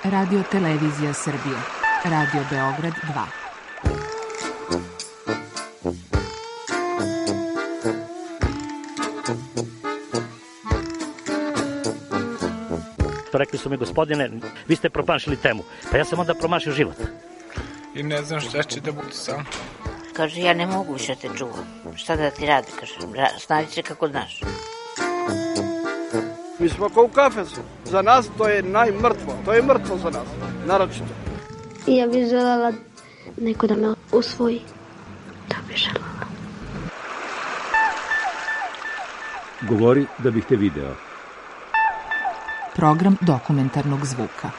Radio Televizija Srbije, Radio Beograd 2. Rekli su mi, gospodine, vi ste promašili temu. Pa ja sam onda promašio život. I ne znam šta će da bude sam. Kaže, ja ne mogu više te čuvam. Šta da ti radi, kaže, snađi se kako znaš. Mi smo kao u kafesu. Za nas to je najmrtvo. To je mrtvo za nas, naročito. Ja bih želela neko da me usvoji. To bih želela. Govori da bih te video. Program dokumentarnog zvuka.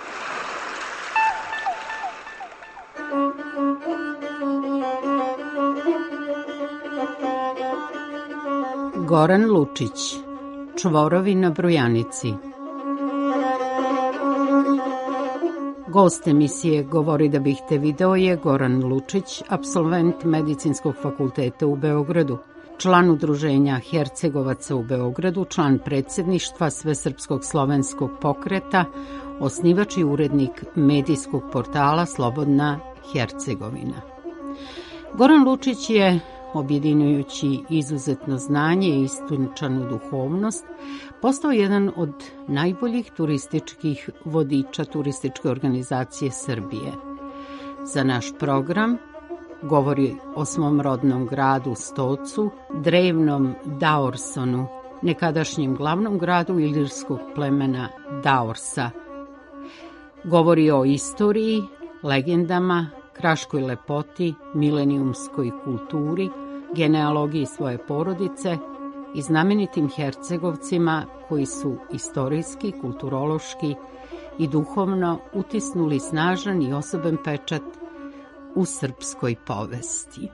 Goran Lučić, Čvorovi na Brujanici. Gost emisije Govori da bih te video je Goran Lučić, apsolvent Medicinskog fakulteta u Beogradu, član udruženja Hercegovaca u Beogradu, član predsjedništva Svesrpskog slovenskog pokreta, osnivač i urednik medijskog portala Slobodna Hercegovina. Goran Lučić je, objedinjujući izuzetno znanje i istinčanu duhovnost, postao jedan od najboljih turističkih vodiča turističke organizacije Srbije. Za naš program govori o svom rodnom gradu Stocu, drevnom Daorsonu, nekadašnjem glavnom gradu ilirskog plemena Daorsa. Govori o istoriji, legendama, kraškoj lepoti, milenijumskoj kulturi, genealogiji svoje porodice i znamenitim Hercegovcima koji su istorijski, kulturološki i duhovno utisnuli snažan i osoben pečat u srpskoj povesti.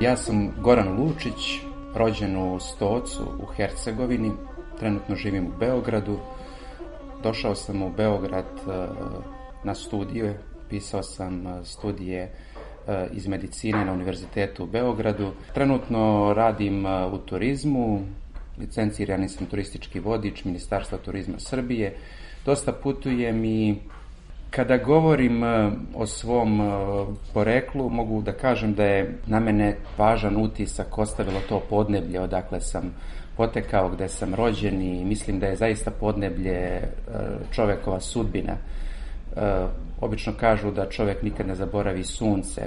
Ja sam Goran Lučić, rođen u Stocu u Hercegovini, trenutno živim u Beogradu. Došao sam u Beograd na studije, pisao sam studije iz medicine na Univerzitetu u Beogradu. Trenutno radim u turizmu, licencirani sam turistički vodič Ministarstva turizma Srbije. Dosta putujem i kada govorim o svom poreklu, mogu da kažem da je na mene važan utisak ostavilo to podneblje odakle sam potekao, gde sam rođen i mislim da je zaista podneblje čovekova sudbina. Obično kažu da čovek nikad ne zaboravi sunce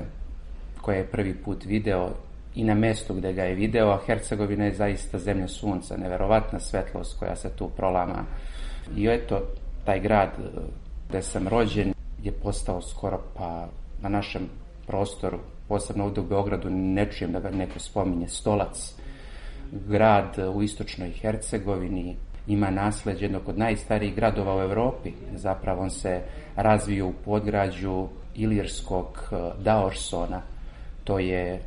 koje je prvi put video i na mestu gde ga je video, a Hercegovina je zaista zemlja sunca, neverovatna svetlost koja se tu prolama. I eto, taj grad gde sam rođen je postao skoro pa na našem prostoru, posebno ovdje u Beogradu, ne čujem da ga neko spominje, Stolac. Grad u istočnoj Hercegovini ima nasleđe jednog od najstarijih gradova u Evropi. Zapravo on se razvio u podgrađu ilirskog Daorsona. To je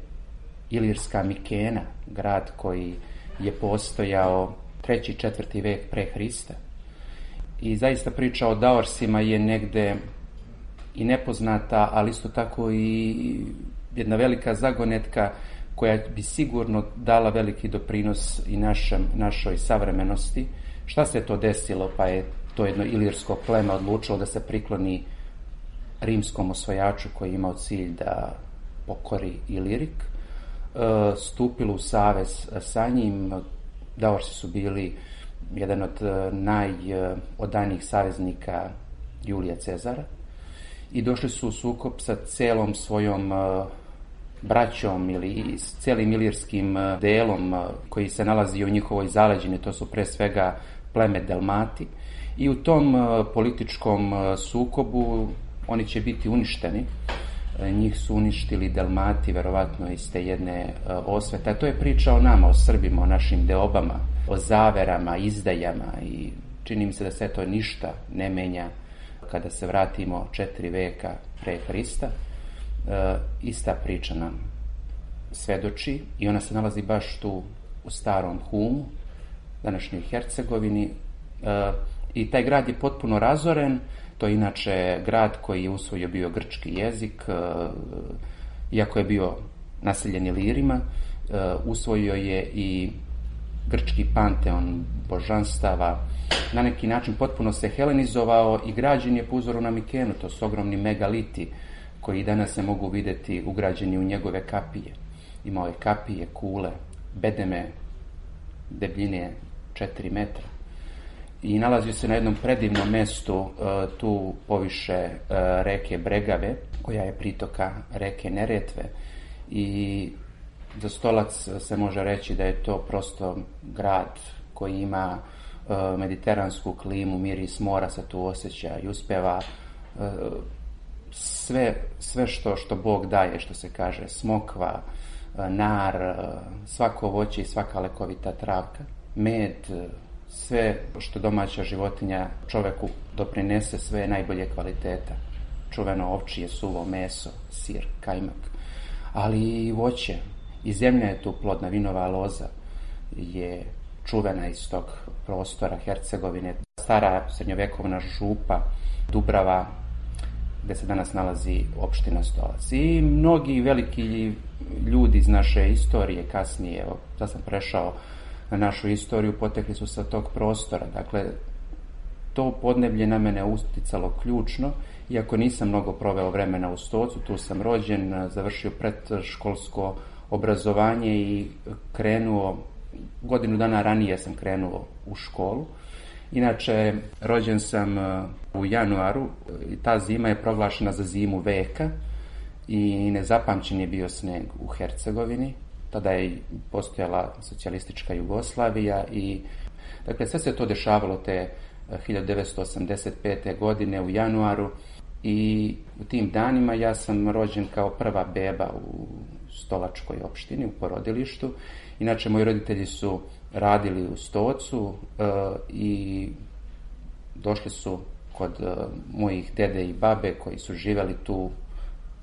ilirska Mikena, grad koji je postojao 3. i 4. vek pre Hrista. I zaista priča o Daorsima je negde i nepoznata, ali isto tako i jedna velika zagonetka koja bi sigurno dala veliki doprinos i našoj savremenosti. Šta se to desilo, pa je to jedno ilirsko pleme odlučilo da se prikloni rimskom osvajaču koji je imao cilj da pokori Ilirik, stupilo u savez sa njim. Daorsi su bili jedan od najodanijih saveznika Julija Cezara i došli su u sukob sa celom svojom braćom ili s celim ilirskim delom koji se nalazi u njihovoj zaleđini, to su pre svega pleme Delmati, i u tom političkom sukobu oni će biti uništeni. Njih su uništili Delmati, verovatno iz te jedne osvete. To je priča o nama, o Srbima, o našim deobama, o zaverama, izdajama, i čini mi se da se to ništa ne menja kada se vratimo 4 veka pre Hrista. Ista priča nam svedoči i ona se nalazi baš tu u starom Humu, današnjoj Hercegovini, i taj grad je potpuno razoren. To je inače grad koji je usvojio bio grčki jezik, iako je bio naseljen Ilirima, usvojio je i grčki panteon božanstava, na neki način potpuno se helenizovao i građen je po uzoru na Mikenu. To su ogromni megaliti koji danas se mogu vidjeti ugrađeni u njegove kapije. Imao je kapije, kule, bedeme, debljine 4 metra. I nalazio se na jednom predivnom mestu tu poviše reke Bregave, koja je pritoka reke Neretve. I za Stolac se može reći da je to prosto grad koji ima mediteransku klimu, miris mora se tu osjeća i uspeva sve što Bog daje, što se kaže, smokva, nar, svako voće i svaka lekovita travka, med, sve što domaća životinja čoveku doprinese, sve najbolje kvaliteta. Čuveno ovčije, suvo meso, sir, kajmak, ali i voće. I zemlja je tu plodna, vinova loza je čuvena iz tog prostora Hercegovine. Stara srednjovekovna župa Dubrava, gde se danas nalazi opština Stolac. I mnogi veliki ljudi iz naše istorije kasnije, evo, sad sam prešao na našu istoriju, potekli su sa tog prostora. Dakle, to podneblje na mene uticalo ključno, iako nisam mnogo proveo vremena u Stocu, tu sam rođen, završio predškolsko obrazovanje i krenuo, godinu dana ranije sam krenuo u školu. Inače, rođen sam u januaru i ta zima je proglašena za zimu veka i nezapamćen je bio sneg u Hercegovini. Tada je postojala socijalistička Jugoslavija i dakle sve se to dešavalo te 1985. godine u januaru i u tim danima ja sam rođen kao prva beba u Stolačkoj opštini, u porodilištu. Inače, moji roditelji su radili u Stocu i došli su kod mojih dede i babe koji su živjeli tu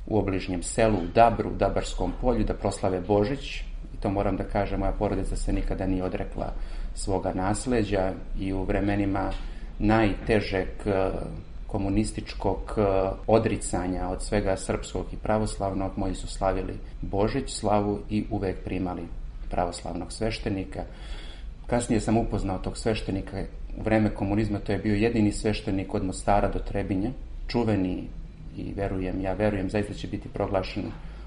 u obližnjem selu, u Dabru, u Dabarskom polju, da proslave Božić. I to moram da kažem, moja porodica se nikada nije odrekla svoga nasleđa i u vremenima najtežeg komunističkog odricanja od svega srpskog i pravoslavnog, moji su slavili Božić, slavu i uvek primali pravoslavnog sveštenika. Kasnije sam upoznao tog sveštenika u vreme komunizma, to je bio jedini sveštenik od Mostara do Trebinja, čuveni i verujem, zaista će biti proglašen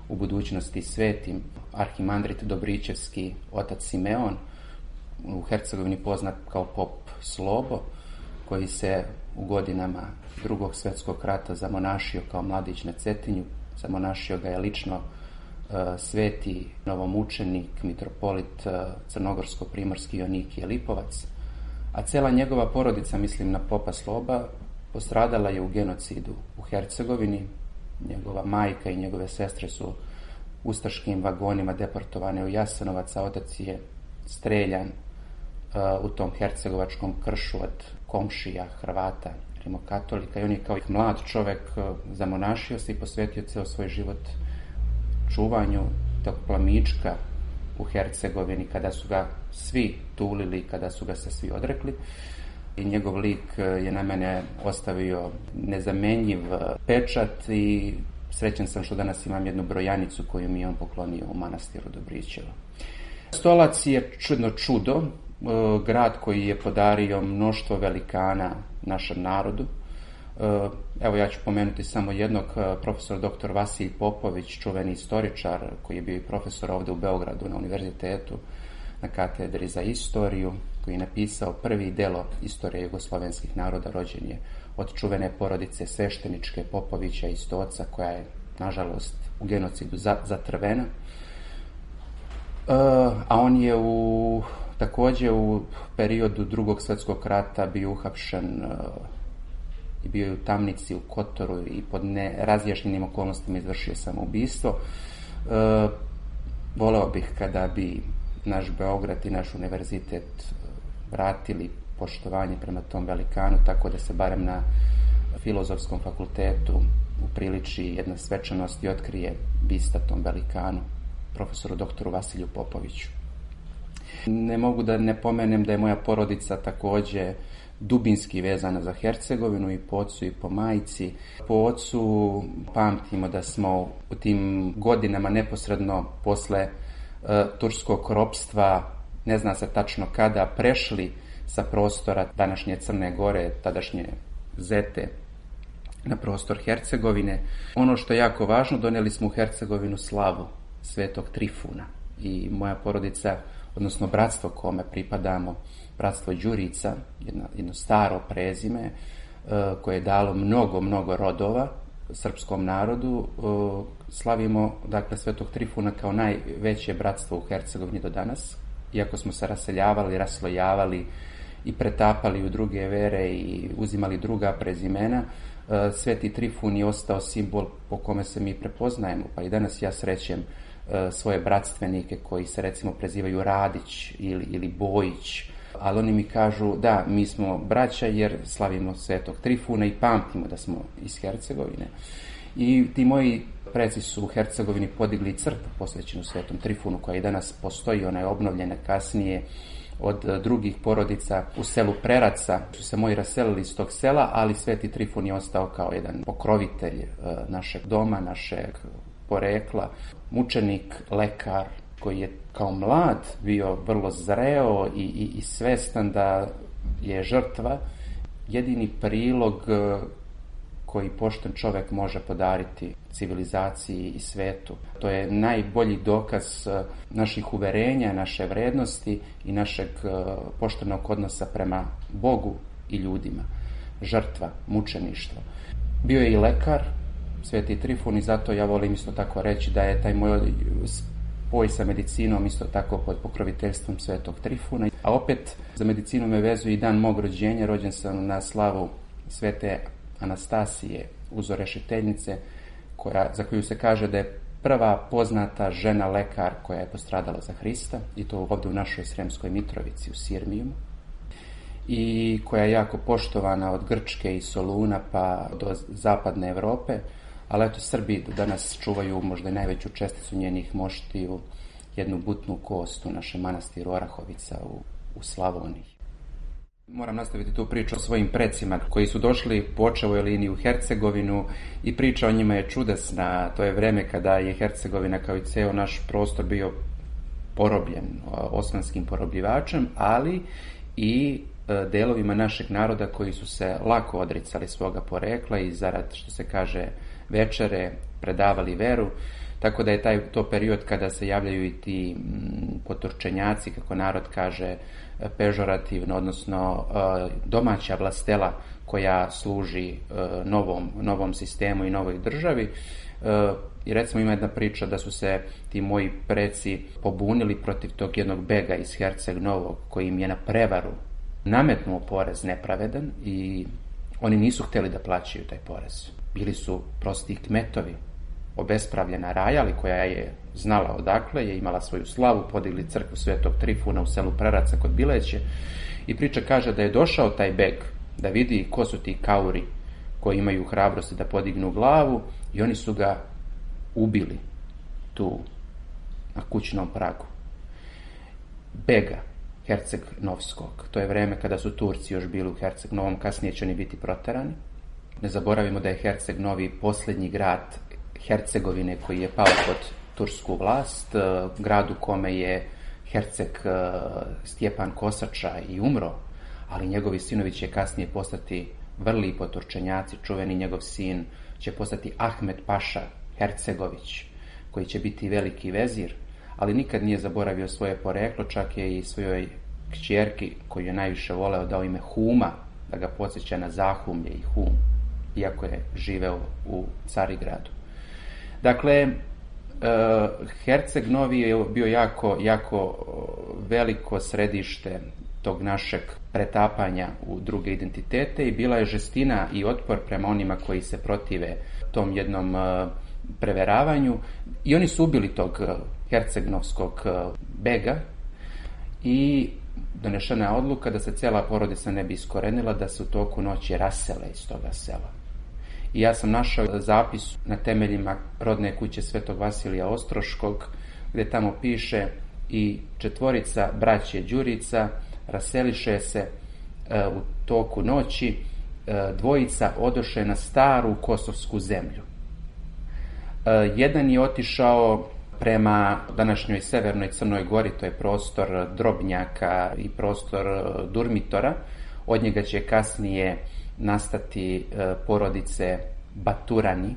u budućnosti svetim, arhimandrit Dobričevski otac Simeon, u Hercegovini poznat kao pop Slobo, koji se u godinama Drugog svjetskog rata zamonašio kao mladić na Cetinju. Zamonašio ga je lično sveti novomučenik, mitropolit crnogorsko-primorski Jonikije Lipovac, a cela njegova porodica, mislim na popa Sloba, postradala je u genocidu u Hercegovini. Njegova majka i njegove sestre su ustaškim vagonima deportovane u Jasenovac, a otac je streljan u tom hercegovačkom kršu od komšija, Hrvata, rimokatolika, i on je kao mlad čovek zamonašio se i posvetio ceo svoj život čuvanju tog plamička u Hercegovini, kada su ga svi tulili, kada su ga se svi odrekli. I njegov lik je na mene ostavio nezamenjiv pečat i srećan sam što danas imam jednu brojanicu koju mi je on poklonio u manastiru Dobričevo. Stolac je čudo, grad koji je podario mnoštvo velikana našem narodu. Evo, ja ću pomenuti samo jednog, profesor dr. Vasilij Popović, čuveni istoričar koji je bio i profesor ovde u Beogradu na univerzitetu na katedri za istoriju, koji je napisao prvi delo istorije jugoslovenskih naroda. Rođen je od čuvene porodice svešteničke Popovića iz Stoca, koja je, nažalost, u genocidu zatrvena. A on je takođe u periodu Drugog svjetskog rata bio uhapšen i bio je u tamnici u Kotoru i pod nerazjašnjenim okolnostima izvršio samoubistvo. Voleo bih kada bi naš Beograd i naš univerzitet vratili poštovanje prema tom velikanu, tako da se barem na Filozofskom fakultetu upriliči jedna svečanost i otkrije bista tom velikanu, profesoru doktoru Vasiliju Popoviću. Ne mogu da ne pomenem da je moja porodica takođe dubinski vezana za Hercegovinu i po ocu i po majci. Po ocu pamtimo da smo u tim godinama neposredno posle turskog ropstva ne zna se tačno kada, prešli sa prostora današnje Crne Gore, tadašnje Zete, na prostor Hercegovine. Ono što je jako važno, donijeli smo u Hercegovinu slavu Svetog Trifuna i moja porodica, odnosno bratstvo kome pripadamo, bratstvo Đurica, jedno staro prezime koje je dalo mnogo rodova srpskom narodu, slavimo dakle Svetog Trifuna kao najveće bratstvo u Hercegovini do danas, iako smo se raseljavali, raslojavali i pretapali u druge vere i uzimali druga prezimena. Sveti Trifun je ostao simbol po kome se mi prepoznajemo, pa i danas ja srećem svoje bratstvenike koji se recimo prezivaju Radić ili Bojić, ali oni mi kažu da, mi smo braća jer slavimo Svetog Trifuna i pamtimo da smo iz Hercegovine. I ti moji preci su u Hercegovini podigli crkvu posvećenu Svetom Trifunu koja i danas postoji, ona je obnovljena kasnije od drugih porodica u selu Preraca. Su se moji raselili iz tog sela, ali Sveti Trifun je ostao kao jedan pokrovitelj našeg doma, našeg porekla, mučenik, lekar koji je kao mlad bio vrlo zreo i svestan da je žrtva jedini prilog koji pošten čovjek može podariti civilizaciji i svetu. To je najbolji dokaz naših uverenja, naše vrednosti i našeg poštenog odnosa prema Bogu i ljudima. Žrtva, mučeništvo. Bio je i lekar, Sveti Trifun, i zato ja volim isto tako reći da je taj moj spoj sa medicinom isto tako pod pokroviteljstvom Svetog Trifuna. A opet za medicinu me vezuje i dan mog rođenja. Rođen sam na slavu Svete Anastasije, uzorešiteljice, za koju se kaže da je prva poznata žena lekar koja je postradala za Hrista, i to ovdje u našoj Sremskoj Mitrovici u Sirmijumu, i koja je jako poštovana od Grčke i Soluna pa do zapadne Europe, ali eto Srbi danas čuvaju možda najveću česticu njenih moštiju, jednu butnu kost u našem manastiru Orahovica u Slavoniji. Moram nastaviti tu priču o svojim precima koji su došli po očevoj liniji u Hercegovinu i priča o njima je čudesna. To je vreme kada je Hercegovina kao i ceo naš prostor bio porobljen osmanskim porobljivačem, ali i delovima našeg naroda koji su se lako odricali svoga porekla i zarad, što se kaže, večere predavali veru. Tako da je to period kada se javljaju i ti poturčenjaci, kako narod kaže, pežorativno, odnosno domaća vlastela koja služi novom sistemu i novoj državi. I recimo ima jedna priča da su se ti moji preci pobunili protiv tog jednog bega iz Herceg Novog koji im je na prevaru nametnuo porez nepravedan i oni nisu htjeli da plaćaju taj porez. Bili su prosti kmetovi, obespravljena raja, ali koja je znala odakle, je imala svoju slavu, podigli crkvu Svetog Trifuna u selu Preraca kod Bileće, i priča kaže da je došao taj beg da vidi ko su ti kauri koji imaju hrabrosti da podignu glavu, i oni su ga ubili tu na kućnom pragu. Bega Herceg Novskog. To je vreme kada su Turci još bili u Herceg Novom, kasnije će oni biti proterani. Ne zaboravimo da je Herceg Novi posljednji grad Hercegovine koji je pao pod tursku vlast, grad u kome je Herceg Stjepan Kosača i umro, ali njegovi sinovi će kasnije postati vrli poturčenjaci. Čuveni njegov sin će postati Ahmed Paša Hercegović, koji će biti veliki vezir, ali nikad nije zaboravio svoje poreklo, čak je i svojoj kćerki, koju je najviše voleo, dao ime Huma, da ga podsjeća na Zahumlje i Hum, iako je živeo u Carigradu. Dakle, Herceg Novi je bio jako veliko središte tog našeg pretapanja u druge identitete i bila je žestina i otpor prema onima koji se protive tom jednom preveravanju, i oni su ubili tog hercegnovskog bega i donešena je odluka da se cijela porodica ne bi iskorenila, da se u toku noći rasele iz toga sela. I ja sam našao zapis na temeljima rodne kuće Svetog Vasilija Ostroškog, gdje tamo piše: i 4 braće Đurica raseliše se u toku noći, 2 odoše na staru kosovsku zemlju. Jedan je otišao prema današnjoj severnoj Crnoj Gori, to je prostor Drobnjaka i prostor Durmitora. Od njega će kasnije nastati porodice Baturani.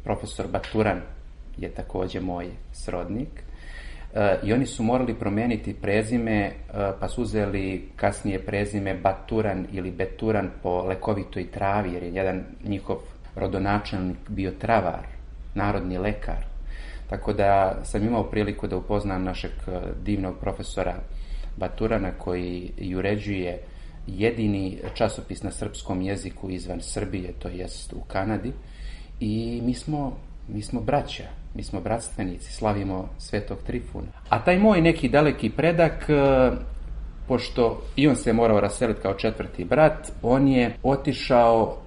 Profesor Baturan je također moj srodnik. I oni su morali promijeniti prezime, pa su uzeli kasnije prezime Baturan ili Beturan po lekovitoj travi, jer je jedan njihov rodonačelnik bio travar, narodni lekar. Tako da sam imao priliku da upoznam našeg divnog profesora Baturana, koji uređuje jedini časopis na srpskom jeziku izvan Srbije, to jest u Kanadi. I mi smo braća, mi smo bratstvenici, slavimo Svetog Trifuna. A taj moj neki daleki predak, pošto i on se morao raseliti kao četvrti brat, on je otišao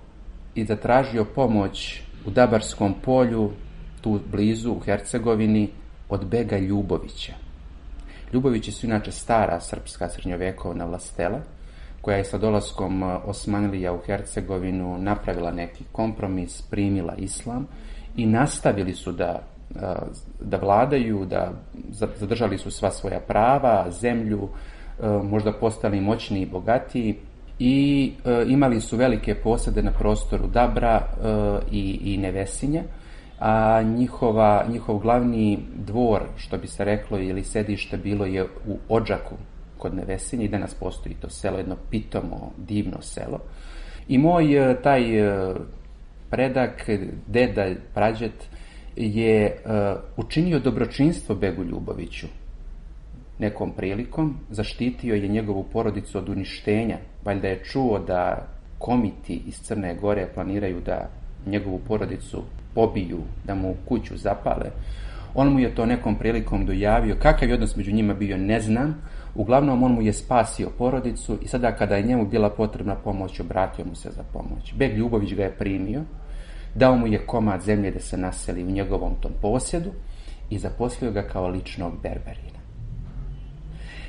i zatražio pomoć u Dabarskom polju, tu blizu u Hercegovini, od bega Ljubovića. Ljubovići su inače stara srpska srednjovekovna vlastela, koja je sa dolaskom Osmanlija u Hercegovinu napravila neki kompromis, primila islam i nastavili su da vladaju, da zadržali su sva svoja prava, zemlju, možda postali moćniji i bogatiji i imali su velike posede na prostoru Dabra i Nevesinja, a njihov glavni dvor, što bi se reklo, ili sedište bilo je u Odžaku kod Nevesinja i danas postoji to selo, jedno pitomo, divno selo. I moj taj predak, deda, prađet, je učinio dobročinstvo begu Ljuboviću nekom prilikom, zaštitio je njegovu porodicu od uništenja. Valjda je čuo da komiti iz Crne Gore planiraju da njegovu porodicu pobiju, da mu kuću zapale. On mu je to nekom prilikom dojavio. Kakav je odnos među njima bio, ne znam. Uglavnom, on mu je spasio porodicu i sada kada je njemu bila potrebna pomoć, obratio mu se za pomoć. Beg Ljubović ga je primio, dao mu je komad zemlje da se naseli u njegovom tom posjedu i zaposlio ga kao ličnog berberina.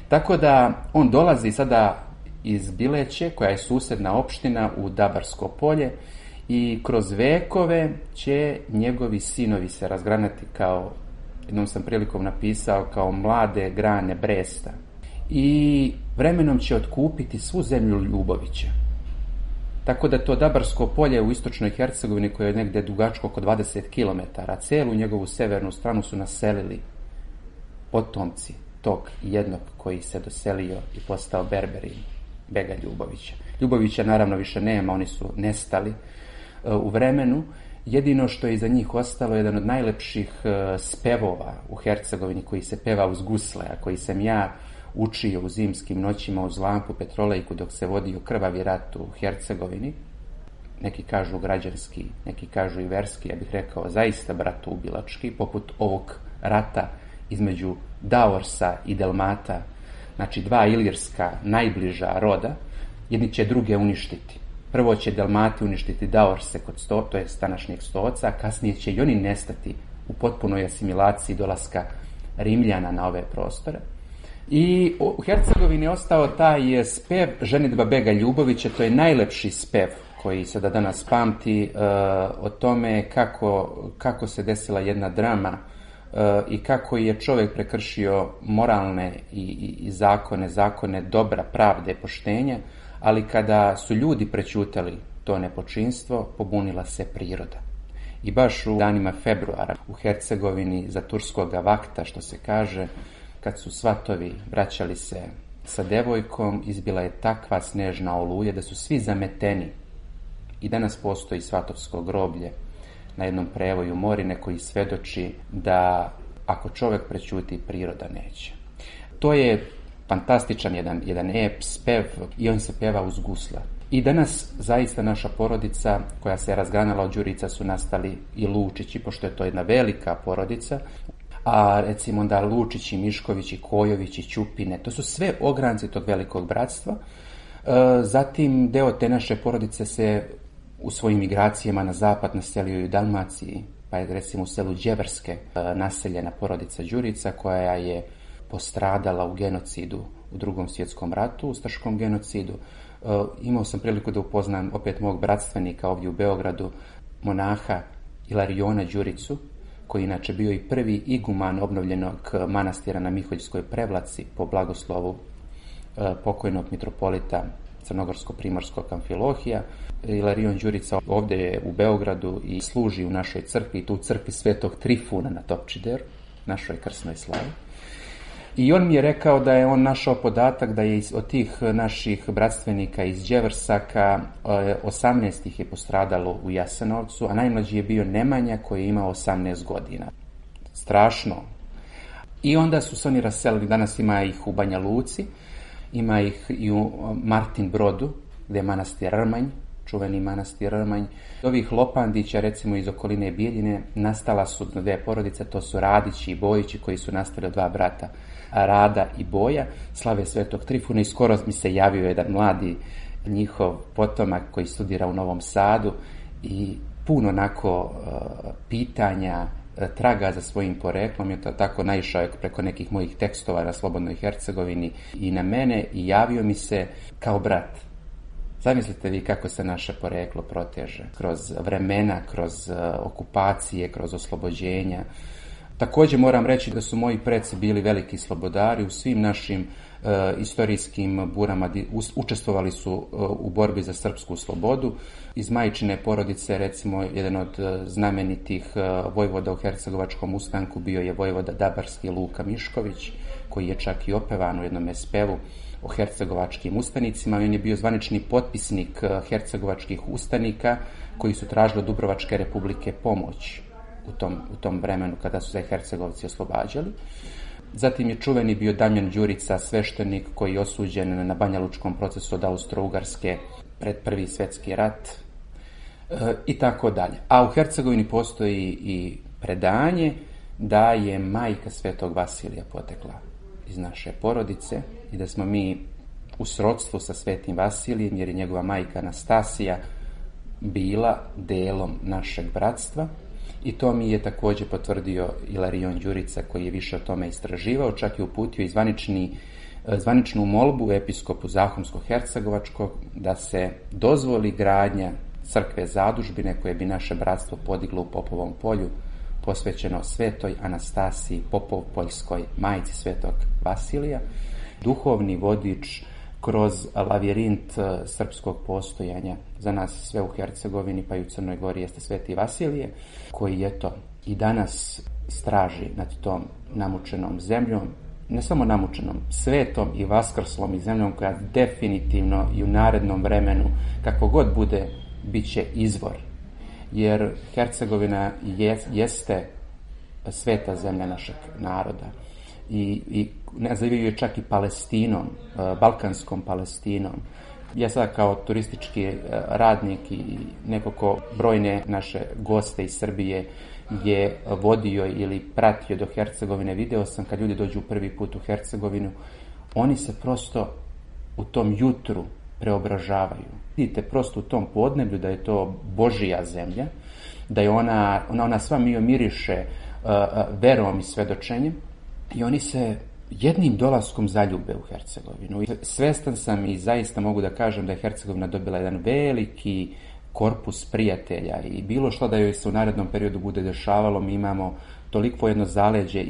Tako da on dolazi sada iz Bileće, koja je susedna opština, u Dabarsko polje, i kroz vekove će njegovi sinovi se razgranati, kao, jednom sam prilikom napisao, kao mlade grane bresta. I vremenom će otkupiti svu zemlju Ljubovića. Tako da to Dabarsko polje u istočnoj Hercegovini, koje je negdje dugačko oko 20 km, celu njegovu severnu stranu su naselili potomci tog jednog koji se doselio i postao berberin, bega Ljubovića. Ljubovića naravno više nema, oni su nestali u vremenu. Jedino što je iza njih ostalo je jedan od najlepših spevova u Hercegovini, koji se peva uz gusle, a koji sam ja učio u zimskim noćima uz lampu petrolejku dok se vodio krvavi rat u Hercegovini. Neki kažu građanski, neki kažu i verski, ja bih rekao zaista bratoubilački, poput ovog rata između Daorsa i Delmata, znači dva ilirska najbliža roda, jedni će druge uništiti. Prvo će Delmati uništiti Daorse kod to je današnjeg Stoca, a kasnije će i oni nestati u potpunoj asimilaciji dolaska Rimljana na ove prostore. I u Hercegovini je ostao taj spev ženidba bega Ljubovića, to je najlepši spev koji se da danas pamti o tome kako se desila jedna drama i kako je čovjek prekršio moralne i zakone dobra, pravde, poštenja, ali kada su ljudi prećutali to nepočinstvo, pobunila se priroda. I baš u danima februara u Hercegovini za turskoga vakta, što se kaže, kad su svatovi vraćali se sa devojkom, izbila je takva snežna oluja da su svi zameteni. I danas postoji svatovsko groblje na jednom prevoju Morine koji svedoči da ako čovjek prećuti, priroda neće. To je fantastičan jedan ep, spev, i on se peva uz gusla. I danas zaista naša porodica koja se razganala od Đurica su nastali i Lučići, pošto je to jedna velika porodica, a recimo da Lučići, Miškovići, Kojovići, Ćupine, to su sve ogranci tog velikog bratstva. Zatim deo te naše porodice se u svojim migracijama na zapad naselio i u Dalmaciji, pa je recimo u selu Đeverske naseljena porodica Đurica koja je postradala u genocidu u Drugom svjetskom ratu, ustaškom genocidu. Imao sam priliku da upoznam opet mog bratstvenika ovdje u Beogradu, monaha Ilariona Đuricu, koji inače bio i prvi iguman obnovljenog manastira na Miholjskoj Prevlaci po blagoslovu pokojnog mitropolita Crnogorsko-Primorskog Amfilohija. Ilarion Đurica ovdje je u Beogradu i služi u našoj crkvi, tu u crkvi Svetog Trifuna na Topčideru, našoj krsnoj slavi. I on mi je rekao da je on našao podatak da je od tih naših bratstvenika iz Đevrsaka 18 ih je postradalo u Jasenovcu, a najmlađi je bio Nemanja koji je imao 18 godina. Strašno. I onda su se oni raselili, danas ima ih u Banja Luci, ima ih i u Martin Brodu, gdje je manastir Rmanj, čuveni manastir Rmanj. Ovih Lopandića, recimo iz okoline Bijeljine, nastala su dvije porodice, to su Radići i Bojići, koji su nastali od dva brata, Rada i Boja, slave Svetog Trifuna, i skoro mi se javio jedan mladi njihov potomak koji studira u Novom Sadu i puno onako pitanja, traga za svojim poreklom, je to tako naišao preko nekih mojih tekstova na Slobodnoj Hercegovini i na mene i javio mi se kao brat. Zamislite vi kako se naše poreklo proteže kroz vremena, kroz okupacije, kroz oslobođenja. Također moram reći da su moji preci bili veliki slobodari u svim našim istorijskim burama, učestvovali su u borbi za srpsku slobodu. Iz majčine porodice, recimo, jedan od znamenitih vojvoda u Hercegovačkom ustanku bio je vojvoda Dabarski Luka Mišković, koji je čak i opevan u jednom spevu o hercegovačkim ustanicima. On je bio zvanični potpisnik hercegovačkih ustanika koji su tražili od Dubrovačke republike pomoć u tom vremenu kada su se Hercegovci oslobađali. Zatim je čuveni bio Damjan Đurica, sveštenik koji je osuđen na Banjalučkom procesu od Austro-Ugarske pred Prvi svjetski rat i tako dalje. A u Hercegovini postoji i predanje da je majka Svetog Vasilija potekla iz naše porodice i da smo mi u srodstvu sa Svetim Vasilijem, jer je njegova majka Anastasija bila delom našeg bratstva. I to mi je također potvrdio Ilarion Đurica, koji je više o tome istraživao, čak je uputio i zvaničnu molbu episkopu Zahumsko-Hercegovačkog da se dozvoli gradnja crkve zadužbine koje bi naše bratstvo podiglo u Popovom polju, posvećeno Svetoj Anastasiji Popov-Poljskoj, majci Svetog Vasilija, duhovni vodič kroz lavirint srpskog postojanja. Za nas sve u Hercegovini pa i u Crnoj Gori jeste Sveti Vasilije, koji eto i danas straži nad tom namučenom zemljom, ne samo namučenom, svetom i vaskrslom i zemljom koja definitivno i u narednom vremenu, kako god bude, bit će izvor. Jer Hercegovina jeste sveta zemlja našeg naroda i nazivaju je čak i Palestinom, Balkanskom Palestinom. Ja sad kao turistički radnik i neko ko brojne naše goste iz Srbije je vodio ili pratio do Hercegovine, video sam kad ljudi dođu prvi put u Hercegovinu, oni se prosto u tom jutru preobražavaju. Vidite prosto u tom podneblju da je to Božija zemlja, da je ona sva miriše verom i svedočenjem i oni se jednim dolaskom zaljube u Hercegovinu. Svestan sam i zaista mogu da kažem da je Hercegovina dobila jedan veliki korpus prijatelja i bilo što da joj se u narednom periodu bude dešavalo, mi imamo toliko jedno zaleđe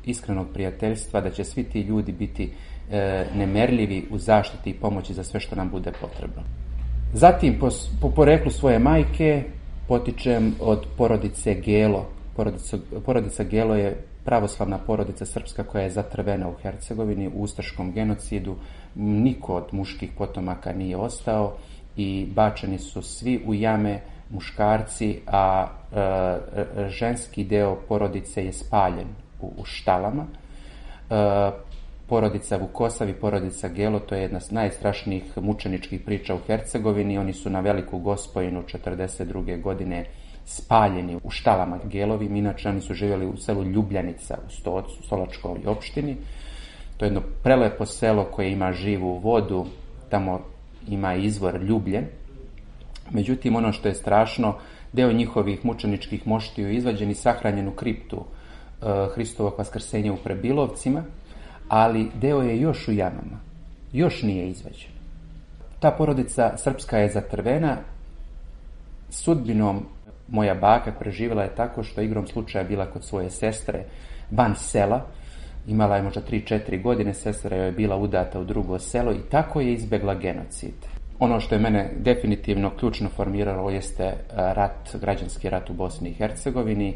iskrenog prijateljstva da će svi ti ljudi biti nemerljivi u zaštiti i pomoći za sve što nam bude potrebno. Zatim, po poreklu svoje majke, potičem od porodice Gelo. Porodica Gelo je pravoslavna porodica srpska koja je zatrvena u Hercegovini u ustaškom genocidu. Niko od muških potomaka nije ostao i bačeni su svi u jame, muškarci, a ženski deo porodice je spaljen u štalama. Porodica Vukosav i porodica Gelo, to je jedna od najstrašnijih mučeničkih priča u Hercegovini. Oni su na Veliku Gospojinu 1942. godine spaljeni u štalama Gelovim. Inače, oni su živjeli u selu Ljubljanica u Stocu, Solačkoj opštini. To je jedno prelepo selo koje ima živu vodu, tamo ima izvor Ljubljen. Međutim, ono što je strašno, deo njihovih mučeničkih moštiju je izvađen i sahranjen u kriptu Hristovog vaskrsenja u Prebilovcima, ali deo je još u jamama, još nije izvađen. Ta porodica srpska je zatrvena sudbinom Moja baka preživjela je tako što je igrom slučaja bila kod svoje sestre van sela. Imala je možda 3-4 godine, sestra joj je bila udata u drugo selo i tako je izbjegla genocid. Ono što je mene definitivno ključno formiralo jeste građanski rat u Bosni i Hercegovini.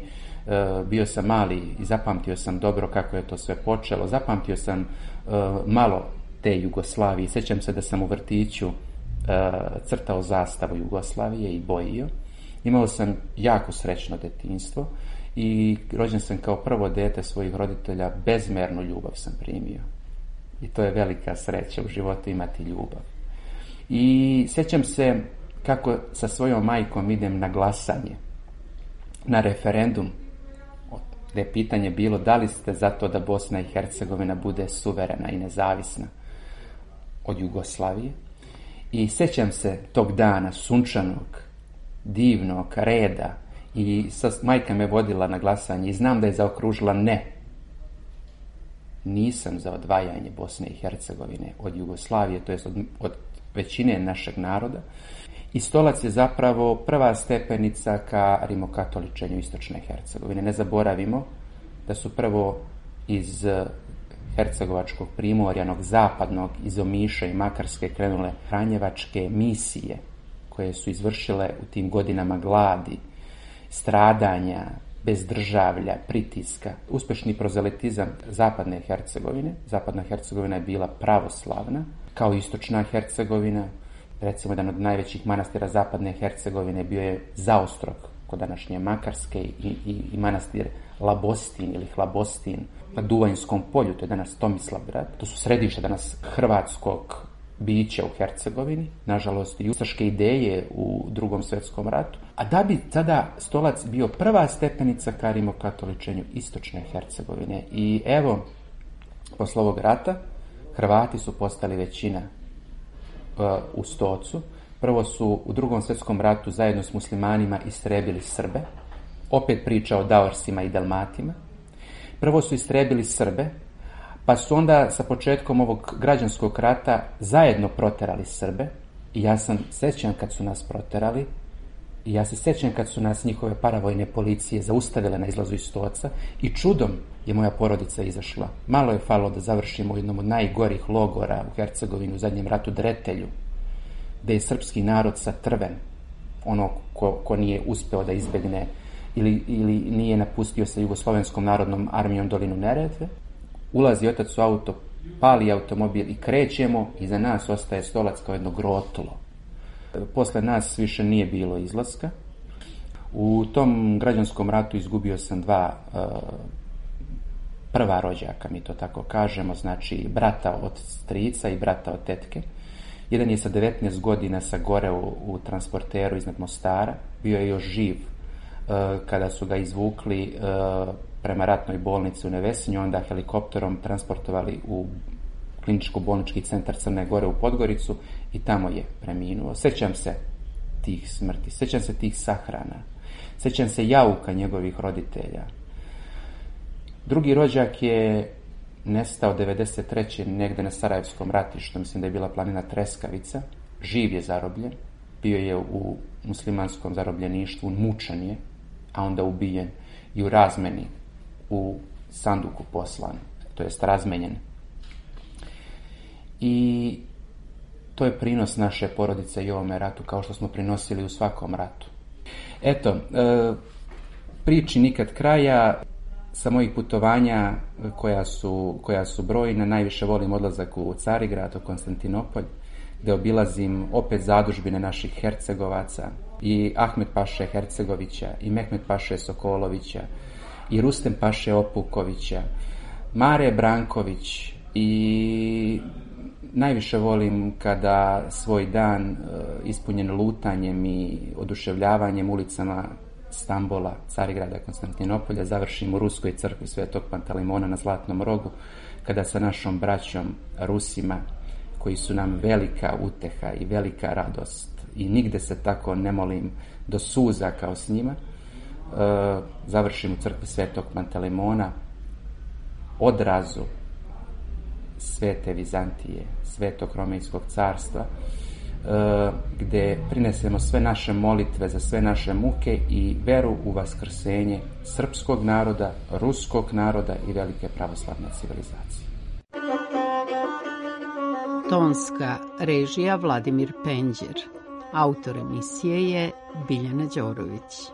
Bio sam mali i zapamtio sam dobro kako je to sve počelo. Zapamtio sam malo te Jugoslavije. Sjećam se da sam u vrtiću crtao zastavu Jugoslavije i bojio. Imao sam jako srećno detinjstvo i rođen sam kao prvo dete svojih roditelja, bezmernu ljubav sam primio. I to je velika sreća u životu imati ljubav. I sjećam se kako sa svojom majkom idem na glasanje, na referendum, gdje je pitanje bilo da li ste za to da Bosna i Hercegovina bude suverena i nezavisna od Jugoslavije. I sjećam se tog dana sunčanog, divnog reda i majka me vodila na glasanje i znam da je zaokružila ne. Nisam za odvajanje Bosne i Hercegovine od Jugoslavije, to jest od većine našeg naroda. I Stolac je zapravo prva stepenica ka rimokatoličenju istočne Hercegovine. Ne zaboravimo da su prvo iz hercegovačkog primorja, onog zapadnog, iz Omiša i Makarske krenule franjevačke misije koje su izvršile u tim godinama gladi, stradanja, bezdržavlja, pritiska, uspješni prozelitizam zapadne Hercegovine. Zapadna Hercegovina je bila pravoslavna, kao istočna Hercegovina. Recimo, jedan od najvećih manastira zapadne Hercegovine bio je Zaostrog, kod današnje Makarske, i manastir Labostin ili Hlabostin na Duvanjskom polju, to je danas Tomislavgrad. To su središte danas hrvatskog bića u Hercegovini, nažalost i ustaške ideje u Drugom svjetskom ratu. A da bi tada Stolac bio prva stepenica ka rimokatoličenju istočne Hercegovine. I evo, posle ovog rata, Hrvati su postali većina u Stocu. Prvo su u Drugom svjetskom ratu zajedno s muslimanima istrebili Srbe. Opet priča o Daorsima i Dalmatima. Prvo su istrebili Srbe, pa su onda sa početkom ovog građanskog rata zajedno proterali Srbe. I ja sam sjećan kad su nas proterali. I ja se sjećam kad su nas njihove paravojne policije zaustavile na izlazu iz Stoca i čudom je moja porodica izašla. Malo je falilo da završimo u jednom od najgorih logora u Hercegovini u zadnjem ratu, Dretelju, gdje je srpski narod satrven, ono ko nije uspeo da izbegne ili nije napustio sa Jugoslovenskom narodnom armijom dolinu Neretve. Ulazi otac u auto, pali automobil i krećemo, iza nas ostaje Stolac kao jedno grotlo. Posle nas više nije bilo izlaska. U tom građanskom ratu izgubio sam dva prva rođaka, mi to tako kažemo, znači brata od strica i brata od tetke. Jedan je sa 19 godina sagoreo u transporteru iznad Mostara, bio je još živ kada su ga izvukli prema ratnoj bolnici u Nevesinju, onda helikopterom transportovali u kliničko-bolnički centar Crne Gore u Podgoricu i tamo je preminuo. Sjećam se tih smrti, sjećam se tih sahrana, sjećam se jauka njegovih roditelja. Drugi rođak je nestao 93. negdje na Sarajevskom ratištu, mislim da je bila planina Treskavica. Živ je zarobljen, bio je u muslimanskom zarobljeništvu, mučan je, a onda ubijen i u razmeni u sanduku poslan, to jest razmenjen. I to je prinos naše porodice i ovome ratu, kao što smo prinosili u svakom ratu. Eto, priči nikad kraja. Sa mojih putovanja koja su brojna, najviše volim odlazak u Carigrad, u Konstantinopolj, gdje obilazim opet zadužbine naših Hercegovaca, i Ahmet Paše Hercegovića, i Mehmet Paše Sokolovića, i Rustem Paše Opukovića, Mare Branković, i najviše volim kada svoj dan ispunjen lutanjem i oduševljavanjem ulicama Stambola, Carigrada, Konstantinopolja završim u Ruskoj crkvi Svetog Pantalimona na Zlatnom rogu, kada sa našom braćom Rusima, koji su nam velika uteha i velika radost i nigde se tako ne molim do suza kao s njima, završim u crkvi Svetog Pantalimona, odrazu Svete Vizantije, Svetog Romejskog carstva, gde prinesemo sve naše molitve za sve naše muke i veru u vaskrsenje srpskog naroda, ruskog naroda i velike pravoslavne civilizacije. Tonska režija Vladimir Penđer. Autor emisije je Biljana Đorović.